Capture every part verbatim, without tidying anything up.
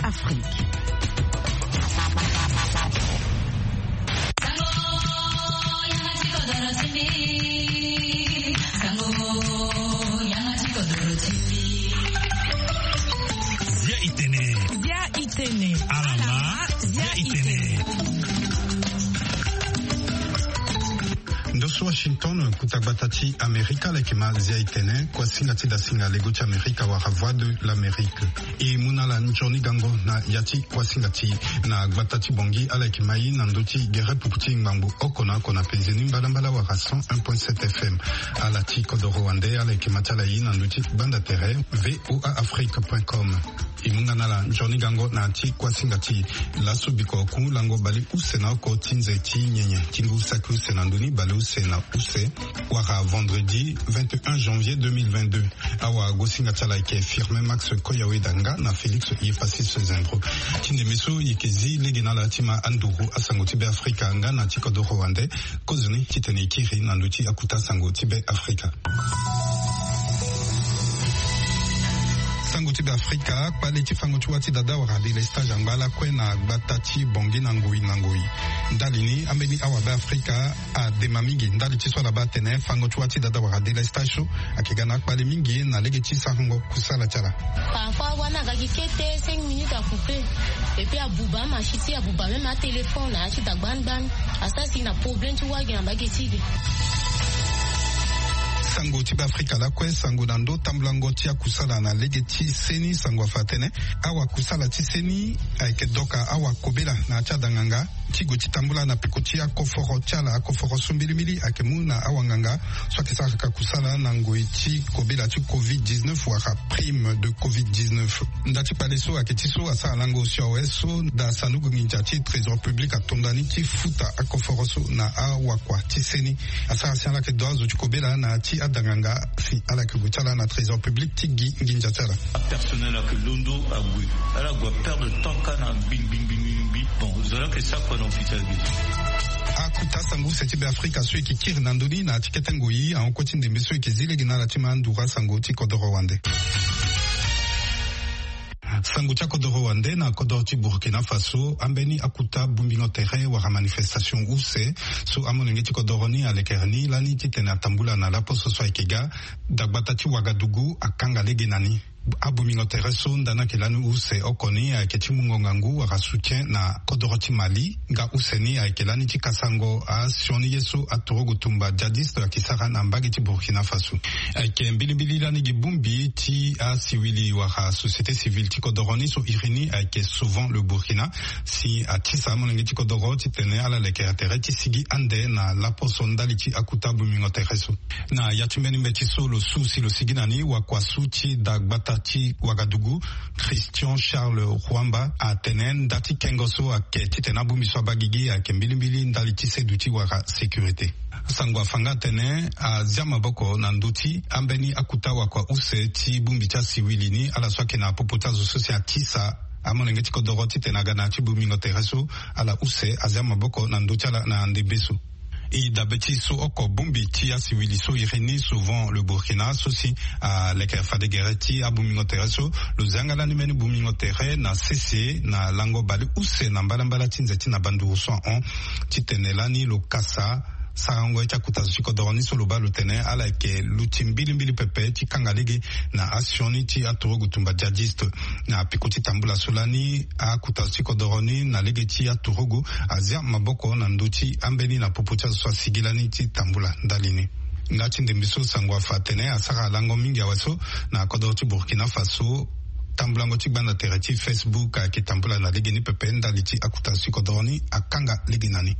Afrique. Zia itene. Zia itene. Alama. Zia itene. Ndo so Washington, kuta gbata ti Amerika, leke ma Zia itene, kuasinga ti dasinga lego ti Amerika wala Voix de l'Amérique. E mu na ala nzoni gango na ya ti kuasinga ti na gbata ti Bangui, ala yeke ma i na ndö ti gere pupu ti ngbangbo oko na oko na penze ni mbalambala wala cent un point sept F M. Ala ti kodoro wande, ala yeke ma ti ala i na ndö ti gbanda tere V O A Afrique point com. E mu nga na ala nzoni gango na ya ti kuasinga ti laso biko ku lango bale use na oko ti nze ti nyenye ti ngu saki use na ndö ni bale use na use, wala vendredi vingt et un janvier deux mille vingt-deux. Awagosinga ti ala ayeke Firmin Max Koyaweda nga na Félix Yepassis Zendro. Ti ndembe so e yeke zi lege na ala ti ma anduru asango ti Be Afrika nga na ti kodoro wande. Kozoni titene e kiri na ndö ti akuta sango ti Be Afrika. Sango ti Be Afrika, kpale ti fango ti wâ ti dada wala délestage angba lakue na gbata ti Bangui na ngoi na ngoi. Ndali ni ambeni awa Be Afrika adema mingi ndali ti so ala baa atene fango ti wâ ti dada wala délestage so ayeke ga na akpale mingi na lege ti sarango kusala ti ala. Parfois wâ ni aga gi kete, cinq minutes a coupé. Et puis abuba amashi ti e, abuba même atéléphone na ya ti dagba ni gbani. Asara si na problème ti wâ gi na mbage ti e. Sango ti Be Afrika lakue, sango na ndö tambulango ti akusala na lege ti seni. Sango afa atene awakusala ti seni ayeke doka awakobela na ya ti adanganga ti gue ti tambula na peko ti akoforo ti ala. Akoforo so mbilimbili ayeke mu na awanganga so ayeke sara ka kusala na ngoi ti kobela ti covid dix-neuf wala prime de covid dix-neuf. Nda ti kpale so ayeke ti so asara lango si awe so da sanduku nginza ti trésor public atonda ni ti futa akoforo so na awakua ti seni. Asara si ala yeke do azo ti kobela na ya ti adanganga si ala yeke gue ti ala na trésor public ti gi nginza ti ala. Apersonnel ayeke londo ague. Ala gue aperdre temps kâ na gbingbi gbingbi gbingbi. Bon, zo laa ayeke sara kua na officiel gi. Akuta sango use ti Be Afrika so e yeke kiri na ndö ni na ya ti kete ngoi ahon kue ti ndembe so e yeke zi lege na ala ti ma anduru asango ti kodoro wande. Sango ti akodoro wande na kodoro ti Burkina Faso, ambeni akuta bongbingo tere wala manifestation use so amolenge ti kodoro ni alekere ni lani titene atambula na laposo so ayeke ga dagbata ti Wagadugu akanga lege na ni. Abongbingo tere so nda ni ayeke lani use oko ni ayeke ti mungo ngangu wala soutien na kodoro ti Mali, nga use ni ayeke lani ti kasango asioni ye so aturugu tumba djihadiste ayeke sara na mbage ti Burkina Faso. Ayeke mbilimbili lani gi bongbi ti asiwili wala société civile ti kodoro ni so iri ni ayeke Sauvons le Burkina, si atisa amolenge ti kodoro titene ala lekere tere ti sigi ande na laposo ndali ti akuta bongbingo tere so. Na ya ti mbeni mbeti so lo su si lo sigi na ni, wakua so ti dagbata ti Wagadugu, Christian Charles Ruamba, atene nda ti kengo so ayeke titene abongbi so abaa gigi ayeke mbilimbili ndali ti seduti wala sécurité. Sango afa nga atene azia maboko na ndö ti ambeni akuta wakua use ti bongbi ti asiwili ni, ala so ayeke na popo ti azo so si atisa amolenge ti kodoro titene aga na ya ti bongbingo tere so. Ala use azia maboko na ndö ti ala na ndembe so. E dabe ti so oko bongbi ti asiwili so iri ni Sauvons le Burkina so si aleke fade gere ti abongbingo tere so, lo zia nga lani mbeni bongbingo tere na sese na lango baleuse na mbalambala ti nze ti na banduru so ahon, titene lani lo kasa sarango ye ti akuta zo ti kodoro ni so lo baa lo tene ala yeke luti mbilimbili pepe ti kanga lege na asioni ti aturugu tumba djihadiste. Na peko ti tambula so lani akuta zo ti kodoro ni na lege ti aturugu azia maboko na ndö ti ambeni na popo ti azo so asigi lani ti tambula ndali ni. Nga ti ndembe so sango afa atene asara lango mingi awe so na kodoro ti Burkina Faso, tambulango ti gbanda tere ti Facebook ayeke tambula na lege ni pepe ndali ti akuta zo ti kodoro ni akanga lege na ni.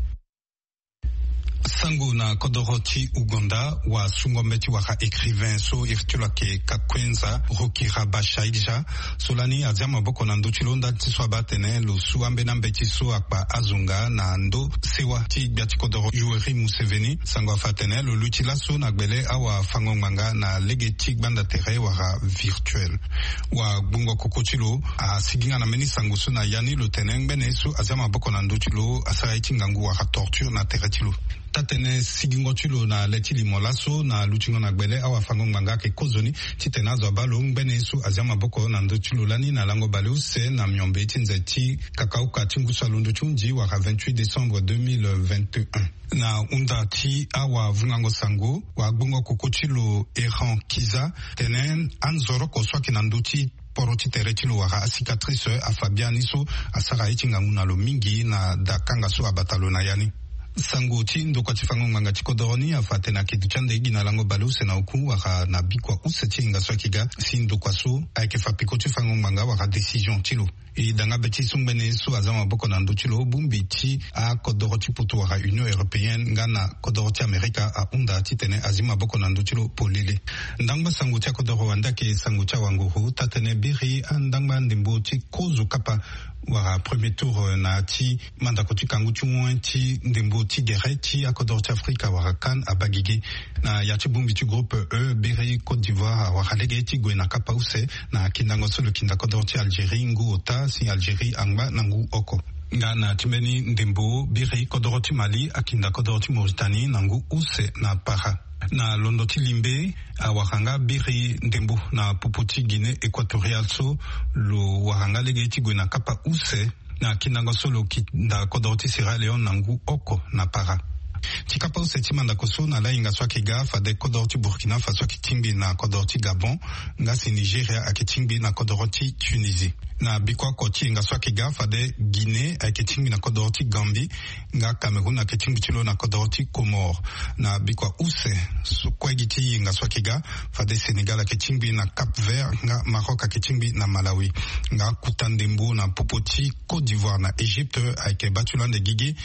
Sango na kodoro ti Ouganda, wasungo mbeti wala écrivain so iri ti lo ayeke Kakwenza Rukirabashaija so lani azia maboko na ndö ti lo ndali ti so abaa atene lo su ambeni ambeti so akpa azo nga na ndö sewa ti gbia ti kodoro Yoweri Museveni. Sango afa atene lo luti laso na gbele awafango-ngbanga na lege ti gbanda tere wala virtuel. Wagbungo koko ti lo asigi nga na mbeni sango so na ya ni lo tene ngbene so azia maboko na ndö ti lo asara ye ti ngangu wala torture na tere ti lo. Taa-tënë sigingo ti lo na le ti limo laso na lutingo na gbele awafango-ngbanga ayeke kozoni titene azo abaa lo ngbene ye so azia maboko na ndö ti lo lani na lango baleuse na miombe ti nze ti kakauka ti ngu so alondo ti hunzi wala vingt-huit décembre deux mille vingt et un. Na hunda ti awavungango sango, wagbongo koko ti lo Errant Kiza tene anzoroko so ayeke na ndö ti poro ti tere ti lo wala acicatrice afa biani so asara ye ti ngangu na lo mingi na dakanga so abata lo na ya ni. Sango ti ndokua ti fango ngbanga ti kodoro ni afa atene ayeke duti ande gi na lango baleuse na oku wala na bikua use ti yenga so ayeke ga si ndokua so ayeke fa peko ti fango ngbanga wala décision ti lo. E danga be ti so ngbene ye so aza maboko na ndö ti lo bongbi ti akodoro ti poto wala Union européenne nga na kodoro ti Amerika ahunda titene azi maboko na ndö ti lo polele. Ndangba sango ti akodoro wande ayeke sango ti awanguru taa-tënë biri andangba ndembo ti kozo kapa wala premier tour na ti mandako ti kangu ti wen ti ndembo ti gere ti akodoro ti Afrika wala CAN abaa gigi. Na ya ti bongbi ti groupe E biri Côte d'Ivoire awara lege ti gue na kapa use na kindango so lo kinda kodoro ti Algérie ngu ota si Algérie angba na ngu oko. Nga na ti mbeni ndembo biri kodoro ti Mali akinda kodoro ti Mauritanie na ngu use na para. Na londo ti limbe awara nga biri ndembo na popo ti Guinée équatoriale so lo wara nga lege ti gue na kapa use na kindango so lo kinda kodoro ti Sierra Leone na ngu oko na para. Ti kapa use ti mandako so na lahinga so ayeke ga fade kodoro ti Burkina Faso ayeke tingbi na kodoro ti Gabon nga si Nigeria ayeke tingbi na kodoro ti Tunisie. Na bikua oko ti yenga so ayeke ga fade Guinée ayeke tingbi na kodoro ti Gambie nga Cameroun ayeke tingbi ti lo na kodoro ti Comores. Na bikua use so kue gi ti yenga so ayeke ga fade Sénégal ayeke tingbi na Cap Vert nga Maroc ayeke tingbi na Malawi. Nga kuta ndembo na popo ti Côte d'Ivoire na Égypte ayeke baa ti lo ande gigi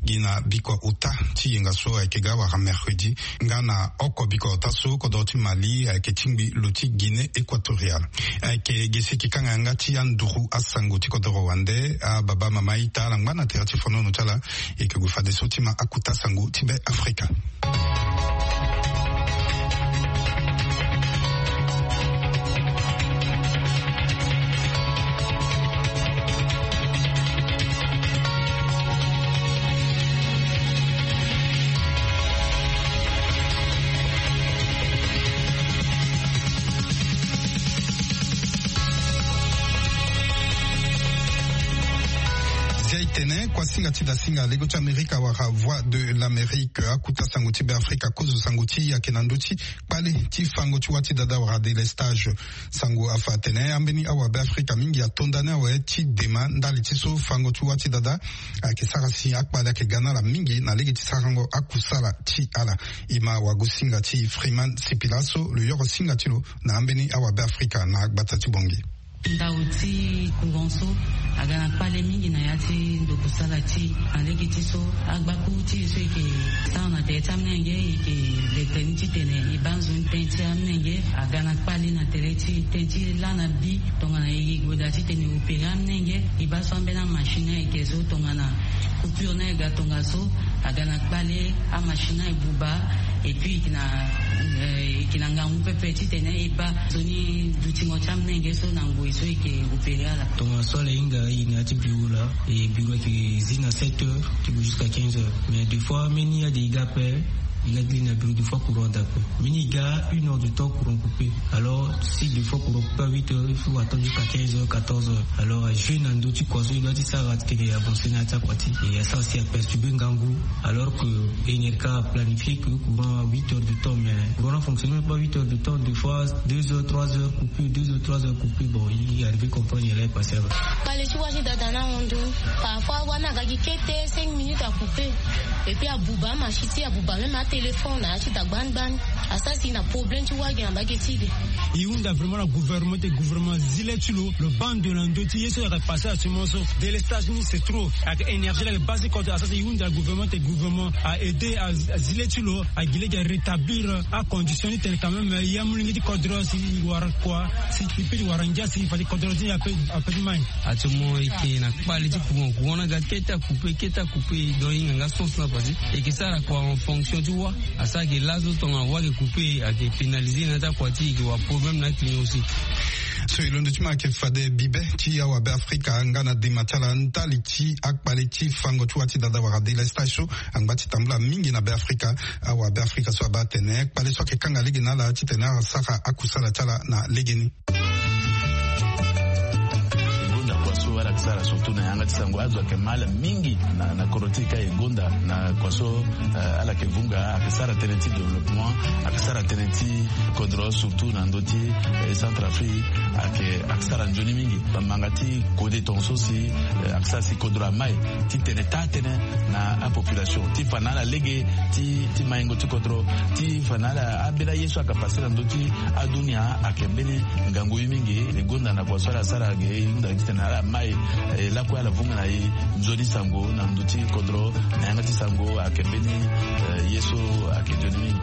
gi na bikua ota ti yenga so ayeke ga wala mercredi. Nga na oko bikua ota so kodoro ti Mali ayeke tingbi lo ti Guinée équatoriale. Ayeke ge si e yeke kanga yanga ti anduru asango ti kodoro wande ababa mama ita ala ngba na tere ti fonono ti ala. E yeke gue fadeso ti ma akuta sango ti Be Afrika. Zia e tene kuasinga ti dasinga lego ti Amerika wala Voix de l'Amérique akuta sango ti Be Afrika kozo sango ti e ayeke na ndö ti kpale ti fango ti wâ ti dada wala délestage. Sango afa atene ambeni awabe Afrika mingi atonda ni awe ti dema ndali ti so fango ti wâ ti dada ayeke sara si akpale ayeke ga na ala mingi na lege ti sarango akusala ti ala. E ma wagosinga ti Freeman Sipila so lo yoro singa ti lo na ambeni awabe Afrika na gbata ti Bangui. Ndau ti courant so aga na kpale mingi na ya ti ndokusala ti e na lege ti so agbakuru ti e so e yeke sara na tere ti amolenge e yeke le tene titene e baa nzoni tënë ti amolenge aga na kpale na tere ti e tënë ti laa na bi tongana e yeke gue daa titene e opere amolenge e baa so ambeni amachine ayeke so tongana coupure ni ayeke ga tongaso aga na kpale amachine aye buba. Et puis e yeke na e yeke na ngangu pepe titene e baa nzoni dutingo ti amolenge so na ngoi so e yeke opere ala. Tongaso ala hinga e na ya ti bureau laa. E bureau ayeke zi na sept heures ti gue jusqu'à quinze heures mais des fois mbeni ade e ga ape. E ga ti li na bureau des fois courant daa ape. Mbeni e ga une heure de temps courant coupé. Alors si des fois courant coupé à huit heures il faut attendre jusqu'à quinze heures, quatorze heures. Alors ajouer na ndö ti kua so e doit ti sara titene e avancer na ya ti akua ti e asara si aperturber ngangu. Alors que E N R K a planifié que courant a huit heures de temps mais courant na fonctionner pas huit heures de temps, des fois deux heures trois heures coupure, deux heures trois heures coupure. Bon, il arrive comprendre il est passé là-bas. Kpale ti wâ ti dada na ahon ndo. Parfois wâ ni aga gi kete cinq minutes a coupé. Et puis abuba amachine ti e abuba même atéléphone na ya ti dagba ni gbani. Asara si na problème ti wâ gi na mbage ti e. E hunda vraiment na gouvernement ti e, gouvernement zi le ti lo lo baa ndo na ndö ti ye so ayeke passé actuellement so. Délestage ni c'est trop. Ayeke énergie la ayeke baa si kodro asara si e hunda gouvernement ti e, gouvernement a aidé azi le ti lo agi lege a rétablir acondition ni tene quand même ya molenge ti kodro si e wara kua si e peut ti wara ngia si fade kodro ti e ape ti mai. Actuellement e yeke na kpale ti courant, courant ni aga kete a coupé kete a coupé. Donc e hinga nga sens ni afa si e yeke sara kua en fonction ti wâ. Asara ke laso tongana wâ ayeke coupé ayeke pénalisé na ya ti akua ti e, e yeke wara problème na aclient aussi. So e londo ti ma ayeke fade bibe ti awabeafrika nga na dema ti ala ndali ti akpale ti fango ti wa ti dada wala délestage so angba ti tambula mingi na beafrika. Awabeafrika so abaa atene kpale so ayeke kanga lege na ala titene asara akusala ti ala na legeni. Gonda kua so ala yeke sara surtout na yanga ti sango azo ayeke ma ala mingi na na kodro ti e ka e gonda na kua so. Ala yeke vunga ayeke sara tënë ti développement, ayeke sara tënë ti kodro surtout na ndö ti centre afrique. Ayeke ayeke sara nzoni mingi bamanga ti kode tonga so si ayeke sara si kodro amai ti tene taa tënë na apopulation ti fa na ala lege ti maingo ti kodro ti fa na ala ambeni aye so ayeke pase na ndö ti adunia. Ayeke mbeni ngangu ye mingi e gonda na kua so ala sara ge e hunda titene ala mai e lakue ala vunga na e nzoni sango na ndö ti kodro na yanga ti sango ayeke mbeni ye so ayeke nzoni mingi.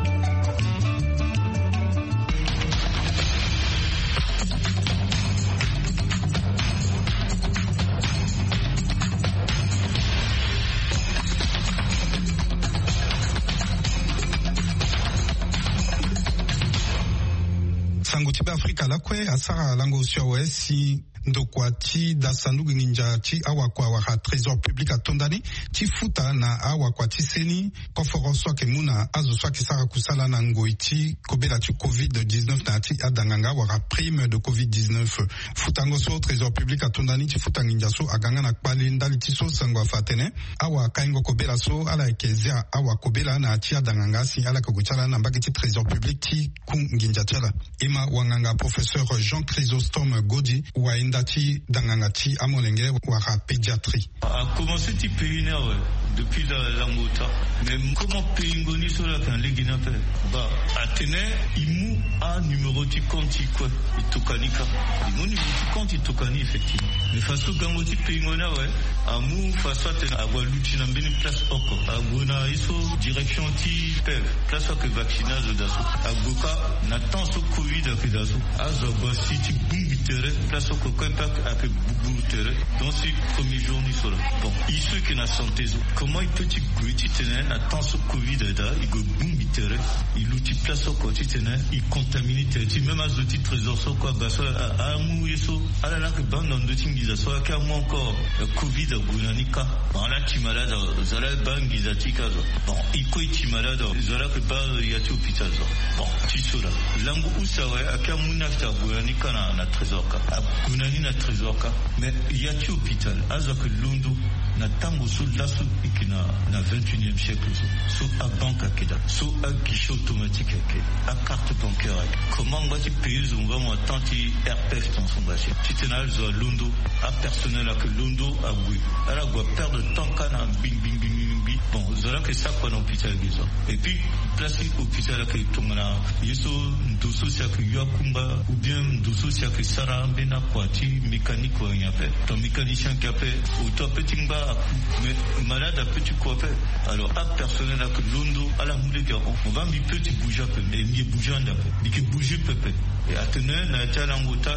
Sango ti beafrika lakue asara lango osio awe si ndokua ti da sanduku nginza ti awakua wala trésor public atonda ni ti futa na awakua ti seni koforo so ayeke mu na azo so ayeke sara kusala na ngoi ti kobela ti covid dix-neuf na ya ti adanganga wala prime de covid dix-neuf. Futango so trésor public atonda ni ti futa nginza so aga nga na kpale ndali ti so sango afa atene awa kaingo kobela so ala yeke zia awa kobela na ya ti adanganga si ala yeke gue ti ala na mbage ti trésor public ti ku nginza ti ala. E ma wanganga professeur jean chrysostome godi wayenda ti danganga ti amolenge wala pédiatrie. A commencé ti payer ni awe depuis la lango ota. Mais comment payingo ni so la kan lege ni ape? Ba atene i mu a numéro ti compte ti kue. I tokani ka i mu numéro ti compte i tokani effectivement. Mais façon gango ti payingo ni awe amu façon atene ague aluti na mbeni place oko ague na ye so direction ti pev place ake vaccine azo da so. Ague ka na temps so covid ake da so azo ague asi ti bungbi tere place oko kue pe ake buburu tere. Donc si premier jour ni so la bon i so eke na santé so comment i pe ti gue titene na temps so covid ada i gue bungbi tere i luti place oko titene i contamini tere ti même azo ti trésor so kue aba so amu ye so ala lake baa na ndö ti nginza so ake amu encore covid ague na ni ka. Bon ala ti malade awe zo ala baa nginza ti ka zo. Bon i kue i ti malade awe zo ala ke baa ya ti hôpital zo. Bon ti so la lango use awe ake amu ni afita ague na ni ka na trésor ka ague na ni na trésor ka. Mais ya ti hôpital azo ake londo na tango so laso eke na na vingt-et-unième siècle so so abanque ake daa so aguichet automatique ake akarte bancaire ake comment angba ti payer zo nga mo atemps ti rpf ton so nga si titene azo alondo apersonnel ake londo ague ala gue aperdre temps ka na ngbi ngbi ngbi ngbi bon zo ala yeke sara kua na hôpital ge zo. Et puis place ti hôpital ayeke tongana ye so ndo so si ayeke yo akungba ou bien ndo so si ayeke sara ambeni akua ti mécanique wala nyen ape. Ton mécanicien ayeke ape auto ape ti ngba aku mais malade ape ti ku ape. Alors apersonnel ayeke londo ala mu lege ahon mo baa mbi pe ti bouger ape mais mbi ye bouger ande ape mbi yeke bouger pepe. E atene na ya ti alango ota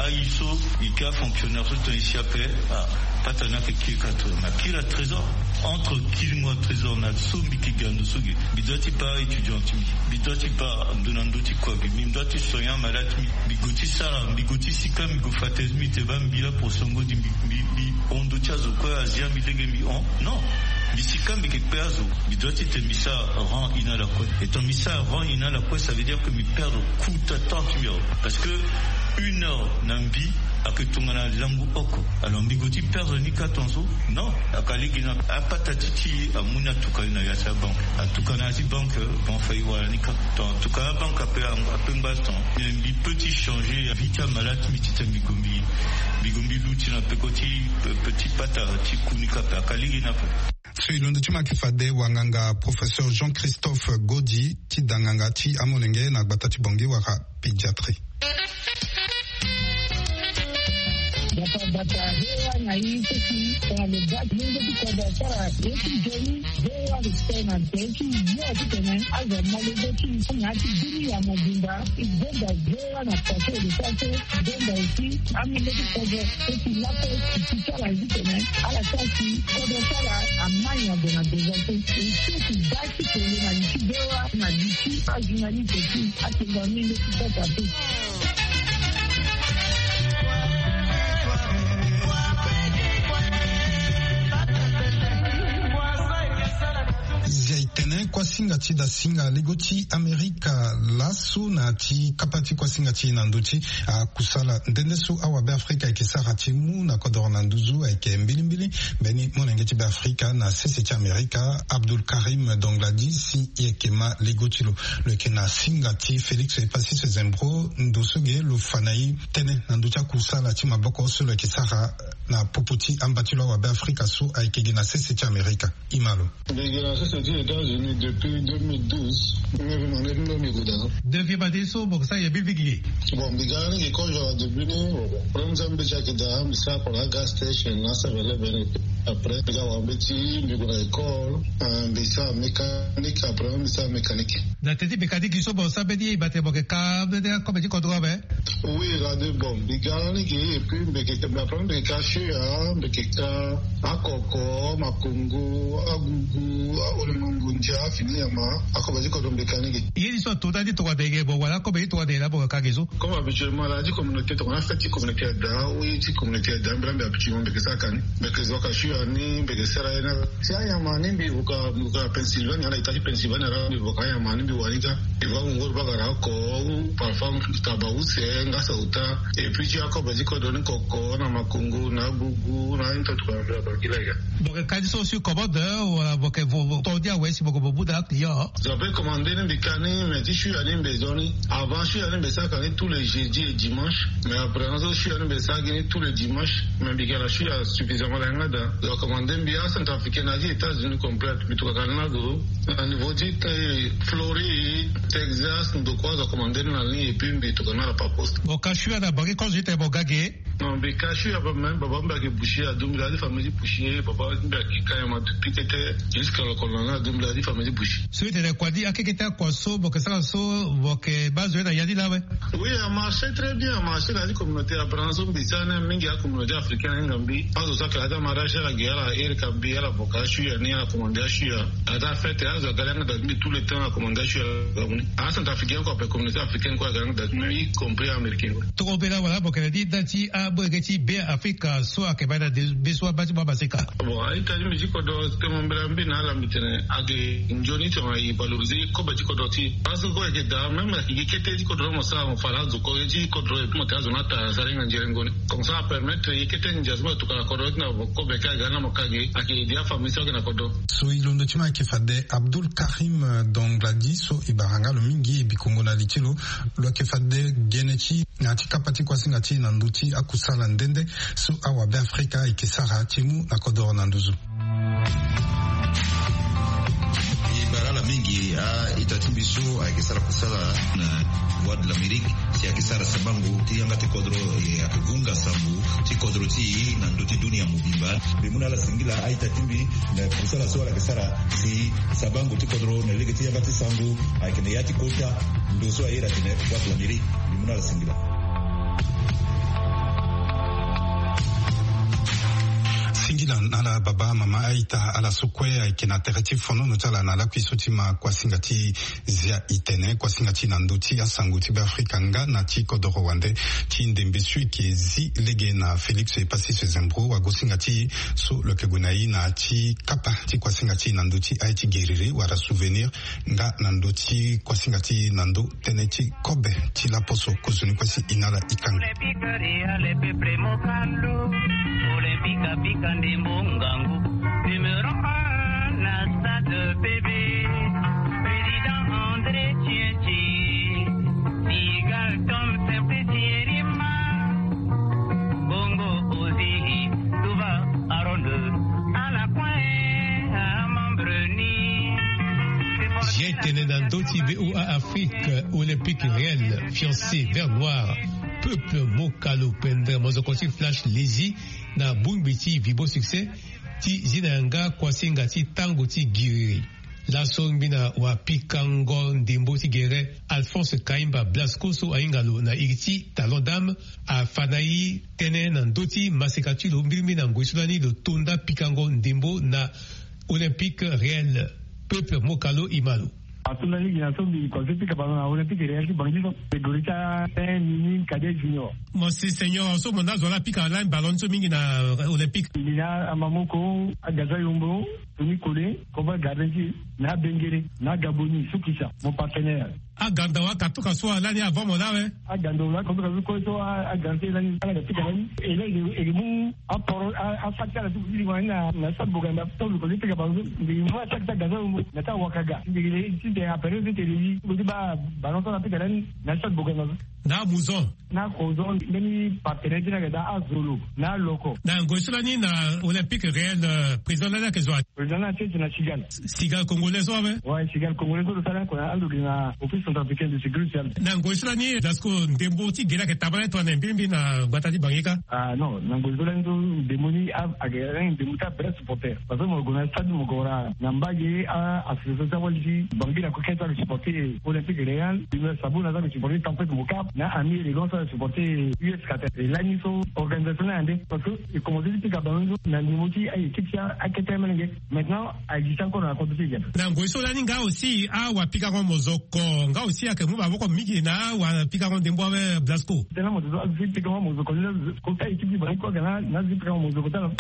ayi so e ke afonctionnaire so tongana e si ape. Apata ni ayeke kiri ka trésor na kiri atrésor entre kiringo atrésor na so mbi yeke ga ndo so ge mbi doit ti baa étudiant ti mbi mbi doit ti baa ndo na ndo ti kua ge mbi doit ti soigner amalade ti mbi mbi go ti sara mbi go ti sika mbi go fa test mbi te baa mbi la pour songo di mbi mbi hon ndo ti azo kue azia mbi lege mbi hon non. Mbi sika mbi yeke kpe azo mbi doit ti tene mbi sara rang ina lakue. Etant mbi sara rang ina lakue ça veut dire que mbi perdre coût ta temps ti mbi awe parce que une heure na mbi ayeke tongana langu oko. Alors mbi go ti perdre ni ka tonga so non. Aka lege na apata ti ti amu ni atuka ni na ya ti abanque atuka na ya ti banque banque fayi wala ni ka. Ton atuka na banque ape ape ngba ton mbi pe ti changer vie ti amalade ti mbi titene mbi go mbi mbi go mbi luti na peko ti peti pata ti ku ni ka ape aka lege ni ape. So e londo ti ma ayeke fade wanganga professeur jean christophe godi ti da nganga ti amolenge na gbata ti bongi wala pédiatrie. Bata bata hewa na ye so si tongana lo ga ti mungo ti kodro asara ye ti nzoni. Hewa respect na nze ti yo titene azo amalenge ti na ya ti bini ya mobimba. E gonda hewa na kua so e lo sara so e gonda aussi amolenge ti kodro so si lape e ti ti ala ye titene ala sara si kodro ti ala amai na gue na deza so. E so si baa ti kele na li ti hewa na li ti ajournaliste ti atengo amolenge ti kota so. Kuasinga ti dasinga lego ti Amerika laso na ti kapa ti kuasinga ti na ndö ti akusala nde nde so awabe Afrika ayeke sara ti mu na kodoro na nduzu ayeke mbilimbili. Mbeni molenge ti be Afrika na sese ti Amerika, Abdul Karim Dongladi, si e yeke ma lego ti lo. Lo yeke na singa ti Félix Epassis Zembro ndo so ge lo fa na e tënë na ndö ti akusala ti maboko so lo yeke sara na popo ti amba ti lo awabe Afrika so ayeke ge na sese ti Amerika. E ma lo. Mbi gi na sese ti États-Unis depuis deux mille douze. Mbi mbi mande mbi mbi guda. Depuis bade so mbo sa ye bi vigi. Bon, mbi ga ni gi kozo depuis ni. Problème sa mbi ti ayeke daa, mbi sara kua na gas station na seven eleven. Après mbi ga wa mbeti, mbi gue na école. Mbi sara mécanique, après mbi sara mécanique. Na teti mécanique so mbo sa mbeti e bate mbo yeke ka mbeti akobe ti kodro ape. Oui, la de bon, mbi ga ni gi. Et puis mbi yeke, mbi après mbi yeke ka shuya, mbi yeke ka akoko, makongo, agugu, aolengo ngondia, fini nyama. Akobe ti kodro mbi yeke ka ni gi. Ye ni so ato nda ti tokua dege bo wala akobe ti tokua dege la bo ka gi so. Comme habituellement la ti communauté tokua na fête ti communauté ada, oui ti communauté ada, mbi la mbi habituellement mbi yeke sara ka ni. Mbi yeke zo ka shuya ni, mbi yeke sara ye na. Si anyama ni mbi vuka, mbi vuka Pennsylvania, na état ti Pennsylvania la mbi vuka anyama ni mbi wani ka. Mbi va wungo ti bagara oko, ou parfois taba use, nga sauta. Et puis ti akobe ti kodro ni koko, na makongo, na agugu, na ni to tokua na mbi la bakila ya. Bo yeke ka ni so sur commande, wala bo yeke vo, vo, to dia we si bo yeke bo mu daa client. Zo ape commandé ni mbi ka ni, mais ti shuya ni mbi zo ni. Avant shuya ni mbi sara ka ni tous les jeudis et dimanches. Mais après na so shuya ni mbi sara gi ni tous les dimanches. Mais mbi ga na shuya suffisamment la yanga daa. Zo commandé mbi acentrafricain na ti États-Unis complet. Mbi tokua ka ni na zo. Na niveau ti, eh, Floride, Texas, ndokua zo commandé ni na ni et puis mbi tokua ni ala par poste. Bo ka shuya na bangi kozo ti tene bo ga ge. Non, mbi ka shuya ba même baba mbi ayeke boucher, adu mbi la ti famille ti boucher, baba mbi ayeke ka nyama depuis tete, jusqu'à lokolo na ni adu mbi la ti famille ti boucher. So e tene kua ni akeke ti akua so bo yeke sara so bo yeke baa zo ye na ya ni laa awe. Oui, a marché très bien, a marché na ya ti communauté abraham so mbi sara ni mingi acommunauté africaine ahinga mbi. Azo so ayeke la ti amarché ala ge ala iri ka mbi ala boka ashuya ni ala commandé ashuya. Aza fête azo aga langa da ti mbi tout le temps ala commandé ashuya ala ga mu ni. Acentrafricain kue ape communauté africaine kue aga langa da ti mbi y compris américain kue. Tongobela wala bokele ni nda ti amolenge ti be afrika so ayeke baa na be so abaa ti mu amaseka. Bon, a-ita ti mbi ti kodro temo mbela mbi na ala mbi tene ayeke nzoni ti tongana e valoriser kobe ti kodro ti e. Parce que kue ayeke daa même ayeke gi kete ti kodro mo sara mo fa laa azo ko ye ti kodro et puis mo tene azo ni ata sara hinga nzerengo ni. Comme ça apermettre ye kete ndia so mo tokua na kodro ti na kobe ka aga ni na mo ka ge ayeke aider afamille so ayeke na kodro. So e londo ti mo ayeke fade Abdul Karim Dongladi so e bara nga lo mingi e bikongo na li ti lo. Lo yeke fade gene ti na ya ti kapa ti kuasinga ti e na ndö ti akusala nde nde so awabe afrika ayeke sara ti mu na kodoro na nduzu. E bara ala mingi a-ita ti mbi so ayeke sara kusala na Voix de l'Amérique si ayeke sara sabango ti yanga ti kodro e ayeke hunga sango ti kodro ti e na ndö ti dunia mobimba. Mbi mu na ala singila a-ita ti mbi na kusala so ala yeke sara si sabango ti kodro na lege ti yanga ti sango ayeke na ya ti kota ndo so aye na tene Voix de l'Amérique. Mbi mu na ala singila. Singila na ala baba mama a-ita ala so kue ayeke na tere ti fonono ti ala na lakui so ti ma kuasinga ti zia e tene kuasinga ti na ndö ti asango ti be afrika nga na ti kodoro wande ti ndembe so e yeke zi lege na Félix Epassis Zembro wagosinga ti e so lo yeke gue na e na ti kapa ti kuasinga ti e na ndö ti aye ti geriri wala souvenir nga na ndö ti kuasinga ti e na ndö tënë ti kobe ti laposo kozoni kue si e na ala e kanga. Olympique, Real, Peuple, Mokalo, Olympique, Afrika, ndembo, ngangu, numéro un na stade P V, président André Tchetche, Sigal, Tom, Simplice, Yerima, Bongo, Ozihi, Duva, Aaron, ala kue amembre ni. Zia e tene na ndö ti V O A Afrique, Olympique Real, fiancé vert noir, Peuple, Mokalo, pendere mozoko ti Flash Lezi na bongbi ti Vibo Succès ti zi na yanga kuasinga ti tango ti giriri. Laso ngbi na wapikango ndembo ti gere Alphonse Kaimba Blasco so ahinga lo na iri ti Talon Dame afa na e tënë na ndö ti maseka ti lo mbirimbiri na ngoi so lani lo to nda pikango ndembo na Olympique Real. Peuple, Mokalo, e ma lo. Ato lani gi na so mbi kose pika ballon na Olympique Real ti Bangui so. Catégorie ti a un, mini, cadet, junior. Mo si senior so mo na zo la pika lani ballon so mingi na Olympique. Mbi na Amamoko, Agaza Yombo, Tony Kole, Koba Gardien ti na Bengere, na Gaboni, Sukisa, mon partenaire. Aganda wa katuka so alani avant mo la we. Aganda wa katuka so ko so a, aganda lani, ala ga pika lani. E lani e mu aporo a, a fakta la so ko diri wani na, na sa boganda to ko pika ballon. Mbi mu a fakta Gaza Yombo na ta wakaga. Mbi le ti de apere ti tele yi. Ko ti ba ballon so na pika lani na sa boganda. Na Muzon. Na Kozon, mbeni partenaire ti na ga da Azolo, na Loko. Na ngoi so lani na Olympique Real, euh, président lani ayeke zo wa? Président lani ayeke na Cigale. Cigale congolais so awe? Ouais, Cigale congolais so lo sara oko na ando gi na Office centrafricain de sécurité sociale. Na ngoi so lani Blasco ndembo ti gere ayeke tabala tongana mbi mbi na gbata ti Bangui ka? Ah non, na ngoi so lani so ndembo ni a, ayeke ndembo ti abref supporter. Parce que mo gue na stade mo gue wara na mbage a association ti awali ti Bangui na kue kete ayeke supporter Olympique Real. Sabona aza ayeke supporter Tempête Mocap. Na Ami Élégance ayeke supporter U S Qatar. E lani so organisation ni ande. Parce que e commencé ti pika ballon so na niveau ti a équipe ti akete melenge. Maintenant a existe encore na kodro ti e. Na ngoi so lani nga aussi awapikango mozoko nga aussi ayeke mu maboko mingi na awapikango ndembo awe Blasco. Tena mo zo azo ti pikango mozoko lani. Kota équipe ti Bangui kue aga na azo ti pikango mozoko ti ala.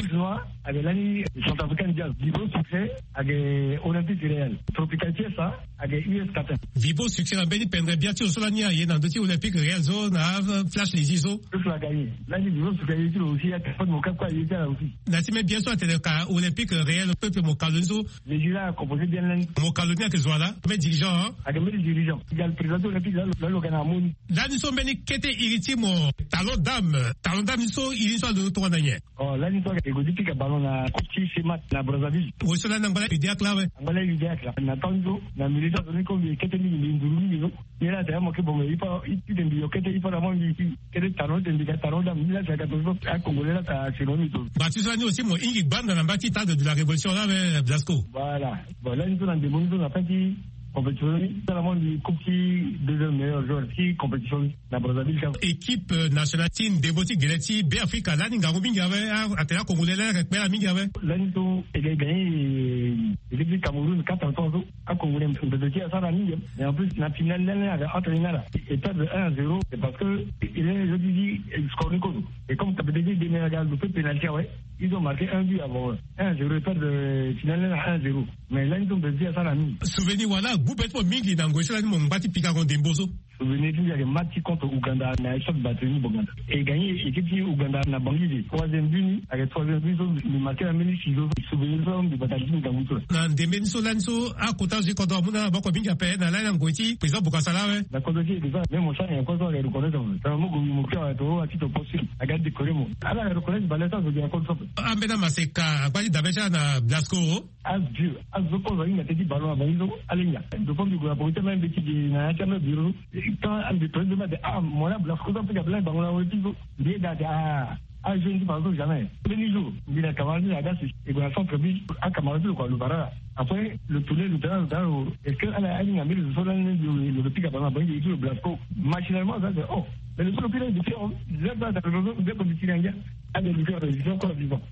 Ayeke lani Centrafricain Jazz, Vivo Succès, ayeke Olympique Real, Tropical Fiesta, ayeke U S Qatar. Vivo Succès na mbeni pendre bia ti lo so lani aye na ndö ti Olympique Real so na Flash Lezi so. Flash la gagné. Lani Vivo Succès aye ti lo aussi, ayeke Fod Mocap kue aye ti ala aussi. Na ti même bien so atene ka Olympique Real peuple mo kalo ni so. Lezi la composé bien lani. Mo kalo ni ayeke zo wa la, mbeni dirigeant, hein? Ayeke mbeni dirigeant. Égal président ti Olympique la lo, la lo ga na amoni. Lani so mbeni kete iri ti mo talon dame, talon dame ni so iri ni so alondo tongana nyen? Oh, lani so e gue ti pika ballon na coupe ti Semat na Brazzaville. Wo so lani angba la Udeac la awe. Angba la Udeac la. Na temps so na milieu so ni ko mbi kete mingi, mbi nduru mingi so. Ni la ata ya mo ke bongo ipa, i ti mbi yo kete ipa na mo mbi kete talon ti mbi ga talon dame. Ni la ata ya ka to so a Congolais la ata seno ni to. Ba ti so lani aussi mo hingi gbanda na mba ti Stade de la Révolution la awe Blasco. Voilà. Bon, lani so na ndembo ni so na fin ti compétition ni, so na mo mbi coupe ti deuxième meilleur joueur ti compétition ni. Na Brazzaville ka. Équipe, euh, nationale ti ndembo ti gele ti Beafrika lani ngangu mingi awe, a, atene a Congolais lani ayeke kpela mingi awe. Lani so e ga e gagné, euh, équipe ti Cameroun quatre à trois so. A Congolais mbeto ti e asara mingi. Et en plus na finale lani ayeke entre ni na ala e perdre un à zéro. C'est parce que il est, je dis, score ni kozo. Et comme Cape Verde ti demi aga lo fait pénalty awe. Ils ont marqué un but avant, un à zéro, e perdre, euh, finale lani na un à zéro. Mais lani so mbeto ti e asara mingi. Souvenir wala agbu be ti mo mingi na ngoi so lani mo ngba ti pikango ndembo so? Souvenir ti mbi ayeke match ti contre Ouganda na Stade Barthélemy Boganda. E gagné équipe ti Ouganda na Bangui de. Troisième but ni ayeke troisième but so mbi marqué na mbeni ciseau. Souvenir so mbi bata li ti mbi ngangu so. Na ndembe ni so lani so akota zo ti kodro amu na ala maboko mingi ape na lani na ngoi ti président Bokassa la awe. Na kodro ti e de so même mo sara nyen kue so ayeke reconnaître mo. Tongana mo gue mo kiri awe to wa ti to poste. Aga décorer mo. Ala ayeke reconnaître bale so azo gi na kodro so ape. Ambeni amaseka agba ti dabe ti ala na Blasco. Azo, azo kozo ahinga teti ballon na bango so, ala hinga. Donc, comme mbi gue na bango ti amai mbeti ge na ya ti amai bureau. Quand ambi président mbi ate, ah, mo la Blasco so apika ballon na bango na weti so. Mbi ye da ate, ah, ajeune ti bango so jamais. Mbeni jour mbi na camarade ti aga si e gue na centre bi, acamarade ti lo kua lo bara la. Après lo tourner lo tala, lo tala lo, est-ce que ala ahinga mbeni zo so lani lo lo pika ballon na bango ti lo Blasco? Machinalement aza ate, oh, mais lo so lo pika depuis, oh, zero da da lo so nde ko mbi tiri angia. Ade lo so lo encore vivant.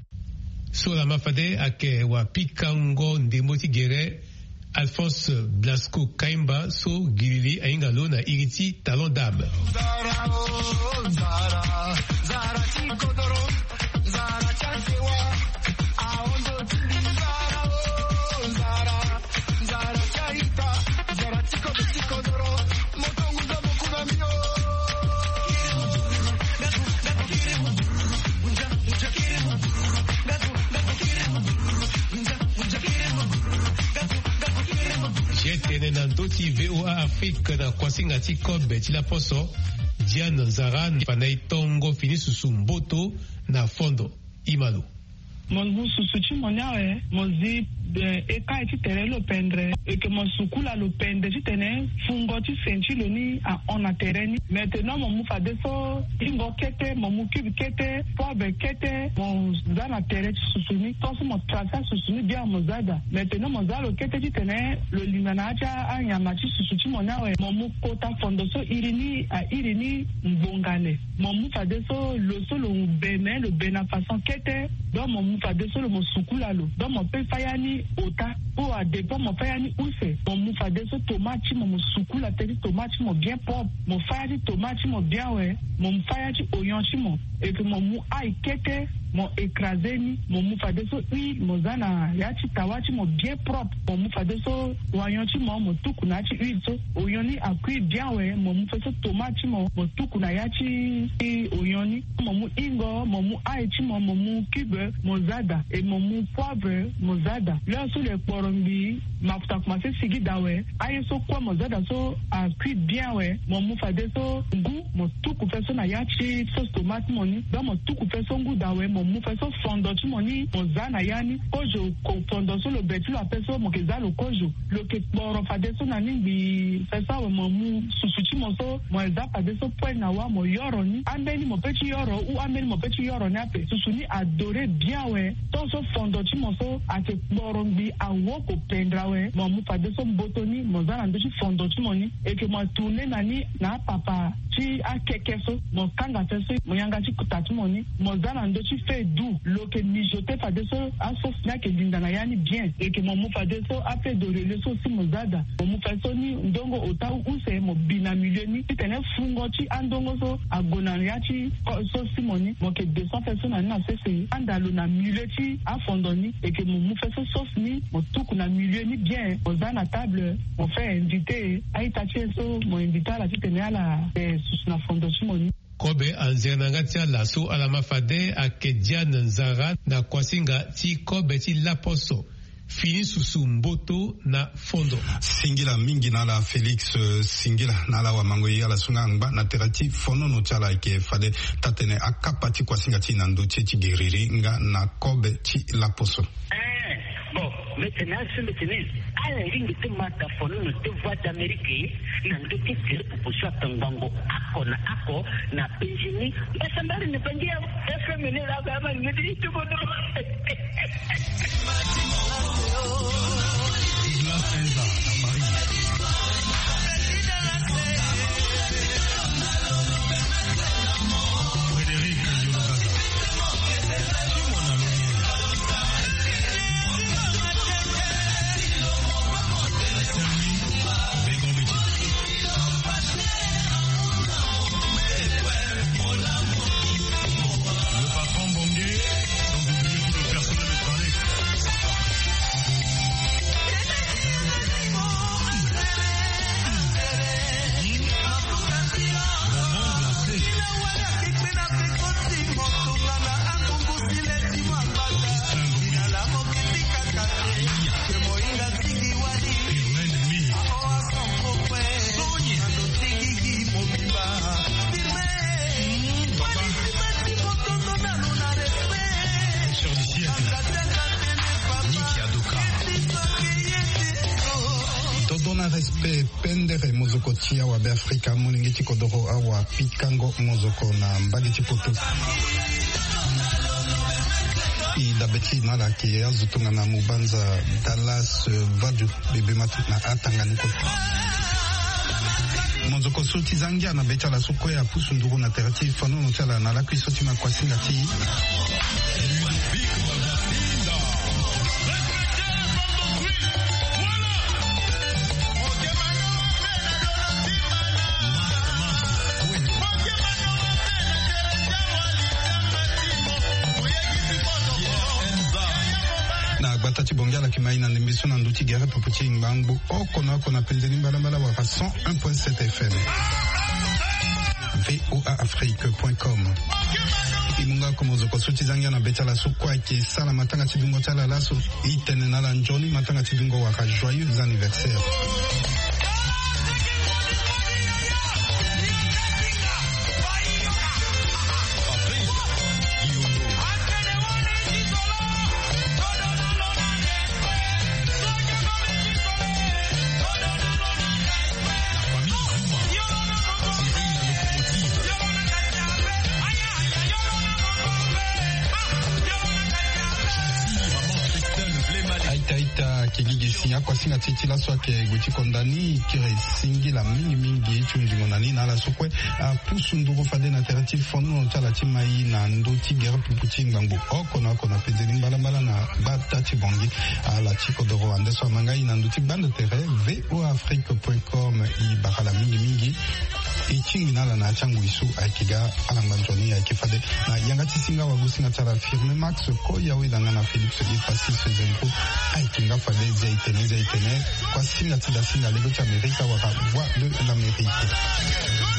So lama fade ayeke wapikango ndembo ti gere Alphonse Blasco Kaimba so gilili ahinga lo na iri ti talon dame. Ye tene na ndö ti V O A Afrique na kuasinga ti kobe ti laposo. Diane Nzara, fana e tongo fini susu mboto na fondo. Imalo. Mo mu susu ti mo ni awe, mo zi, eh, eka ti tere lo pendre, eke mo sukula lo pendre titene fungo ti sen ti lo ni ahon na tere ni. Maintenant mo mu fadeso ingo kete, mo mu cube kete, poivre kete, mo za na tere ti susu ni, tant so mo tracer susu ni bien mo za daa. Maintenant mo za lo kete titene lo linga na ya ti anyama ti susu ti mo ni awe, mo mu kota fondo so iri ni airi ni mbongane. Mo mu fadeso lo so lo be me lo be na façon kete. Donc mo mu Fadeso lo mo sukula lo, donc mo pe fa ya ni ota. Po adépend mo fa ya ni use, mo mu fadeso tomate ti mo, mo sukula teti tomate ti mo bien propre. Mo fa ya ti tomate ti mo bien awe, mo mu fa ya ti oignon ti mo, et puis mo mu ail kete, mo écraser ni, mo mu fadeso huile, mo za na ya ti tawa ti mo bien propre. Mo mu fadeso oignon ti mo, mo tuku na ya ti huile so. Oignon ni a cuit bien awe, mo mu fadeso tomate ti mo, mo tuku na ya ti oignon ni. Mo mu ingo, mo mu ail ti mo, mo mu cube, mo za daa, et mo mu poivre, mo za daa. L'heure so lo kporo ngbii, mafuta komanse sigi daa awe, aye so kue mo za daa so a cuit bien awe, mo mu fadeso ngu, mo tuku fadeso na ya ti sauce tomate ti mo ni. Donc mo tuku fadeso ngu daa awe, mo mu fadeso fondo ti mo ni, mo za na ya ni. Kozo, ko-, fondo so lo be ti lo ape so, mo ke za lo kozo. Lo ke kporo fadeso na ni ngbii. Fadeso awe mo mu susu ti mo so, mo za fadeso poêle na wâ, mo yoro ni. Ambeni mo pe ti yoro, ou ambeni mo pe ti yoro ni ape. Susu ni a dorer bien awe. Tant so fondo ti mo so ake kporo ngbii, awoko pendra awe, mo mu fadeso mboto ni, mo za na ndö ti fondo ti mo ni. Et que mo tourner na ni na apapa ti akeke so, mo kanga fadeso, mo yanga ti kuta ti mo ni, mo za na ndö ti feu doux. Lo ke mijoter fadeso asauce ni ake linda na ya ni bien. Et que mo mu fadeso afeuille de laurier so aussi, mo za daa. Mo mu fadeso ni ndongo ota ou use, mo bi na milieu ni titene fungo ti andongo so ague na ya ti sauce ti mo ni. Mo ke descend fadeso na ni na sese, anda lo na milieu ti afondo ni. Et que mo mu fadeso sauce ni, mo tuku na milieu ni bien, mo za na table, mo fait inviter a-ita ti e so, mo inviter ala titene ala, eh, susu na fondo ti mo ni. Kobe anzere na yanga ti ala so ala ma fade ayeke Diane Nzara na kuasinga ti kobe ti laposo. Fini susu mboto na fondo. Singila mingi na ala Félix, eh, singila na ala wamango ye ala so nga angba na tere ti fonono ti ala ayeke fade taa-tene akapa ti kuasinga ti e na ndö ti e ti geriri nga na kobe ti laposo. Eh, bon, mbi tene aso mbi tene ala lingbi ti ma daa fonono ti Voix d'Amérique na ndö ti tere popo so atongbango oko na oko na penzi ni. Mbasambari na bangi ya F M ni la ba ma ni ti tubodo. Le patron Bongué, sans oublier tout le personnel de Tralex. Dodona respect. Pendere mozoko ti awa Beafrika, molenge ti kodoro awa Pikango mozoko na mbage ti poto. E dabe ti e na ala ayeke azo tongana Mubanza Dallas, eh, Vadu, Bebe Matu na atanga ni kue. Mozoko so ti za ngia na be ti ala so kue apusu nduru na tere ti fanono ti ala na lakui so ti ma kuasinga ti e. Na gbata ti Bongi ala yeke ma e na ndembe so na ndö ti gere popo ti e ngbangbo oko na oko na penze ni mbalambala wala cent un point sept F M. V O A Afrique point com. E mu nga oko mozoko so ti za ngia na be ti ala so kue ayeke sara matanga ti dungo ti ala laso. E tene na ala nzoni matanga ti dungo wala joyeux anniversaire. Aita, aita, Kigi gi si akuasinga ti e ti laso ayeke gue ti konda ni. Kiri singila mingi mingi ti hunzingo na ni na ala so kue apusu nduru fade na tere ti fono ti ala ti mai na ndö ti gere pupu ti ngbangbo oko na oko na penze ni mbalambala na gbata ti bongi. Ala ti kodoro ande so ama ngai na ndö ti gbanda tere voa afrique point com. E bara ala mingi mingi. E tingbi na ala na ya ti angoi so ayeke ga. Ala ngba nzoni ayeke fade na yanga ti singa wagosinga ti ala firme max koya weda nga na félix e passis zempo. Ayeke nga fade zia etene zia etene. Kuasinga ti dasinga lego ti amerika wala voix de l'amérique.